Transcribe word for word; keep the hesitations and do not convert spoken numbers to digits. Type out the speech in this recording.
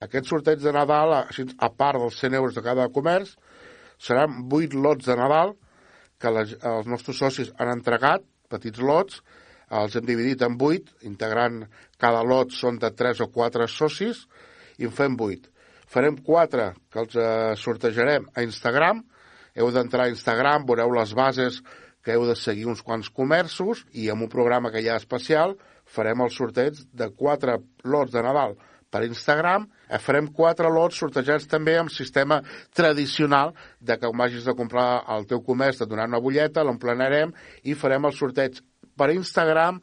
Aquest sorteig de Nadal, a part dels cent euros de cada comerç, seran vuit lots de Nadal que les, els nostres socis han entregat, petits lots, els hem dividit en vuit, integrant cada lot són de tres o quatre socis, i en fem vuit. Farem quatre que els eh, sortejarem a Instagram. Heu d'entrar a Instagram, veureu les bases que heu de seguir uns quants comerços i amb un programa que hi ha especial farem el sorteig de quatre lots de Nadal per Instagram. Farem quatre lots sortejats també amb sistema tradicional de que vagis a comprar al teu comerç, et donaran una butlleta, l'emplenarem i farem el sorteig per Instagram